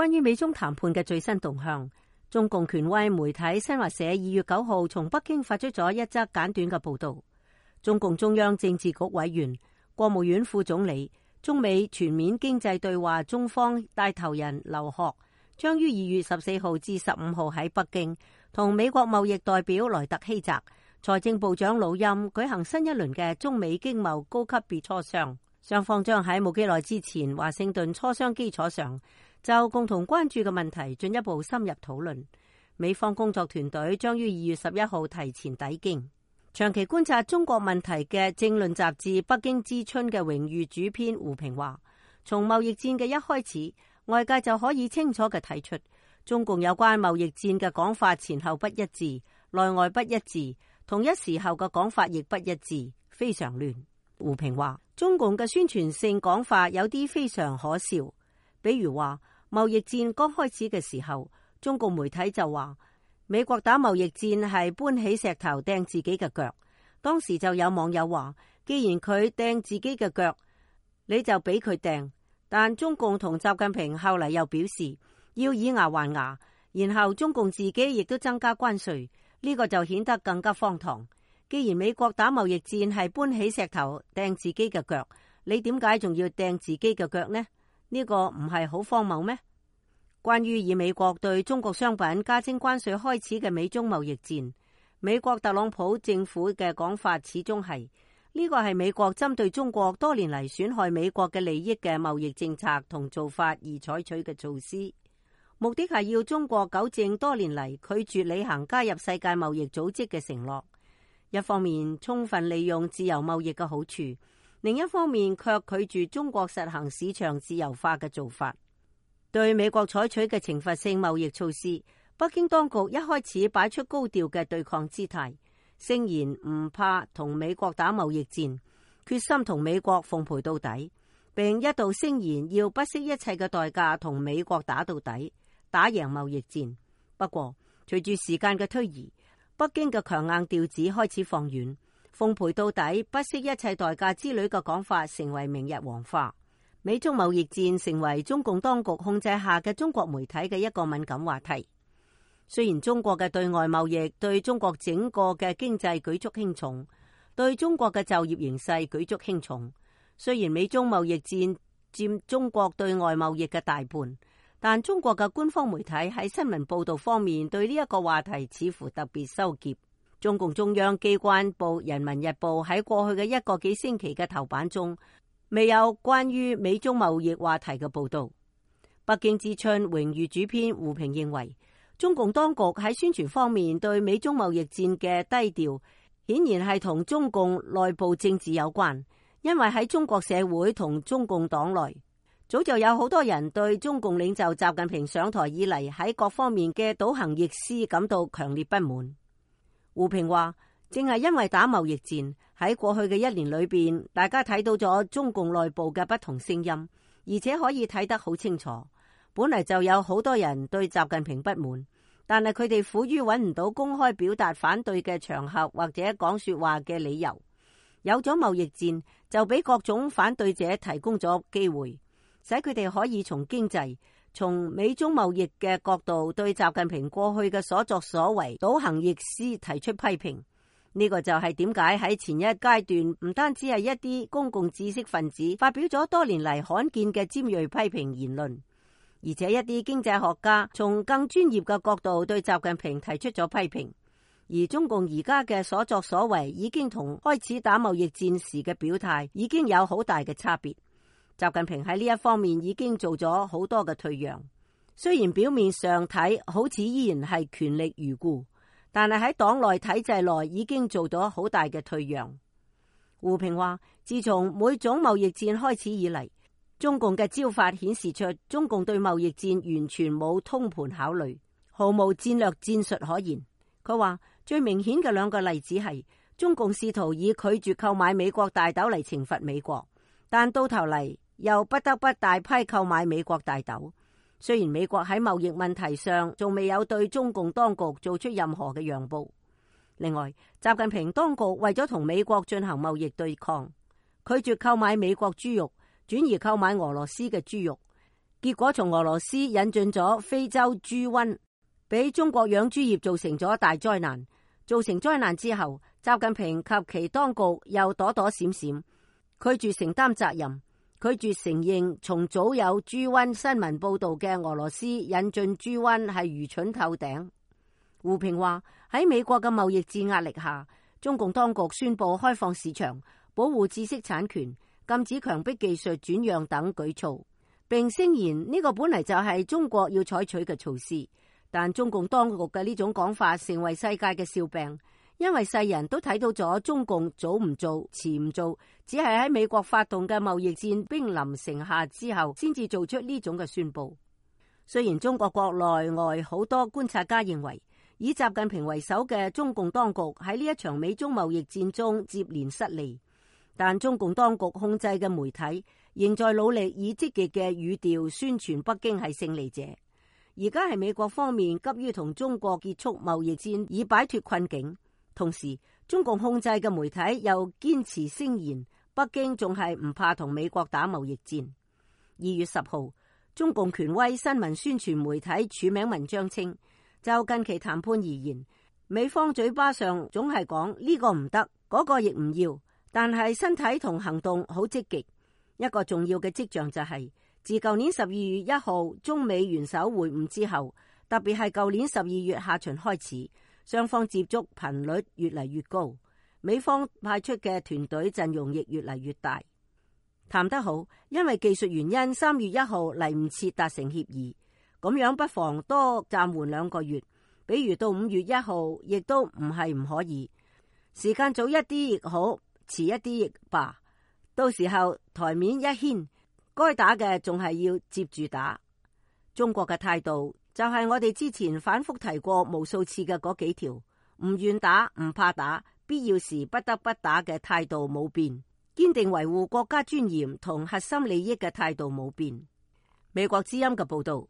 關於美中談判嘅最新動向，中共權威媒體新華社2月9號從北京發出咗一則簡短嘅報道。中共中央政治局委員、國務院副總理、中美全面經濟對話中方帶頭人劉鶴將於2月14號至15號喺北京同美國貿易代表萊特希澤、財政部長魯欽舉行新一輪嘅中美經貿高級別磋商。雙方將喺冇幾耐之前華盛頓磋商基礎上，就共同關注嘅問題進一步深入討論。美方工作團隊將於2月11號提前抵京。長期觀察中國問題嘅政論雜誌《北京之春》嘅榮譽主編胡平話，從貿易戰嘅一開始，外界就可以清楚嘅睇出，中共有關貿易戰嘅講法前後不一致，內外不一致，同一時候嘅講法亦不一致，非常亂。胡平話，中共嘅宣傳性講法有啲非常可笑，比如話貿易戰剛開始嘅時候，中共媒體就話美國打貿易戰係搬起石頭掟自己嘅腳。當時就有網友話，既然佢掟自己嘅腳，你就俾佢掟。但中共同習近平後嚟又表示要以牙還牙，然後中共自己亦都增加關稅，呢個就顯得更加荒唐。既然美國打貿易戰係搬起石頭掟自己嘅腳，你點解仲要掟自己嘅腳呢？呢個唔係好荒謬咩？關於以美國對中國商品加徵關稅開始嘅美中貿易戰，美國特朗普政府嘅講法始終係呢個係美國針對中國多年嚟損害美國嘅利益嘅貿易政策同做法而採取嘅措施，目的係要中國糾正多年嚟拒絕履行加入世界貿易組織嘅承諾。一方面充分利用自由貿易嘅好處，另一方面卻拒絕中國實行市場自由化嘅做法。對美國採取嘅懲罰性貿易措施，北京當局一開始擺出高調嘅對抗姿態，聲言唔怕同美國打貿易戰，決心同美國奉陪到底，並一度聲言要不惜一切嘅代價同美國打到底，打贏貿易戰。不過隨住時間嘅推移，北京嘅強硬調子開始放軟，奉陪到底、不惜一切代價之類嘅講法成為明日黃花。美中貿易戰成為中共當局控制下嘅中國媒體嘅一個敏感話題。雖然中國嘅對外貿易對中國整個嘅經濟舉足輕重，對中國嘅就業形勢舉足輕重，雖然美中貿易戰佔中國對外貿易嘅大半，但中國嘅官方媒體喺新聞報道方面對呢一個話題似乎特別收斂。中共中央機關報《人民日報》喺過去嘅一個幾星期嘅頭版中，未有關於美中貿易話題嘅報道。北京之春榮譽主編胡平認為，中共當局喺宣傳方面對美中貿易戰嘅低調，顯然係同中共內部政治有關。因為喺中國社會同中共黨內，早就有好多人對中共領袖習近平上台以嚟喺各方面嘅倒行逆施感到強烈不滿。胡平話，正係因為打貿易戰，喺過去嘅一年裏邊，大家睇到咗中共內部嘅不同聲音，而且可以睇得好清楚。本嚟就有好多人對習近平不滿，但係佢哋苦於揾唔到公開表達反對嘅場合或者講說話嘅理由。有咗貿易戰，就俾各種反對者提供咗機會，使佢哋可以從經濟、從美中貿易嘅角度對習近平過去嘅所作所為倒行逆施提出批評。呢個就係點解喺前一階段唔單止係一啲公共知識分子發表咗多年嚟罕見嘅尖銳批評言論，而且一啲經濟學家從更專業嘅角度對習近平提出咗批評。而中共而家嘅所作所為已經同開始打貿易戰時嘅表態已經有好大嘅差別。習近平喺呢一方面已經做咗好多嘅退讓，雖然表面上睇好似依然係權力如故，但係喺黨內體制內已經做咗好大嘅退讓。胡平話，自從每種貿易戰開始以嚟，中共嘅招法顯示出中共對貿易戰完全冇通盤考慮，毫無戰略戰術可言。佢話最明顯嘅兩個例子係中共試圖以拒絕購買美國大豆嚟懲罰美國，但到頭嚟又不得不大批購買美國大豆。雖然美國喺貿易問題上仲未有對中共當局做出任何嘅讓步。另外，習近平當局為咗同美國進行貿易對抗，拒絕購買美國豬肉，轉而購買俄羅斯嘅豬肉。結果從俄羅斯引進咗非洲豬瘟，俾中國養豬業造成咗大災難。造成災難之後，習近平及其當局又躲躲閃閃，拒絕承擔責任，拒絕承認從早有豬瘟新聞報道嘅俄羅斯引進豬瘟係愚蠢透頂。胡平話，喺美國嘅貿易戰壓力下，中共當局宣布開放市場、保護知識產權、禁止強迫技術轉讓等舉措，並聲言呢個本嚟就係中國要採取嘅措施。但中共當局嘅呢種講法成為世界嘅笑柄，因為世人都睇到咗中共早唔做、遲唔做，只係喺美國發動嘅貿易戰兵臨城下之後，先至做出呢種嘅宣佈。雖然中國國內外好多觀察家認為，以習近平為首嘅中共當局喺呢一場美中貿易戰中接連失利，但中共當局控制嘅媒體仍在努力以積極嘅語調宣傳北京係勝利者。而家係美國方面急於同中國結束貿易戰以擺脫困境，同時中共控制嘅媒體又堅持聲言北京仲係唔怕同美國打貿易戰。2月10號，中共權威新聞宣傳媒體署名文章稱，就近期談判而言，美方嘴巴上總係講呢個唔得，嗰個亦唔要，但係身體同行動好積極。一個重要嘅跡象就係，自舊年12月1號中美元首會晤之後，特別係舊年12月下旬開始，雙方接觸頻率越嚟越高，美方派出嘅團隊陣容亦越嚟越大。談得好，因為技術原因3月1號嚟唔切達成協議，咁樣不妨多暫緩2個月，比如到5月1號亦都唔係唔可以，時間早一啲亦好，遲一啲亦罷，到時候台面一掀，該打嘅仲係要接住打。中國嘅態度就係我哋之前反覆提過無數次嘅嗰幾條，唔願打、唔怕打、必要時不得不打嘅態度冇變，堅定維護國家尊嚴同核心利益嘅態度冇變。美國之音嘅報道。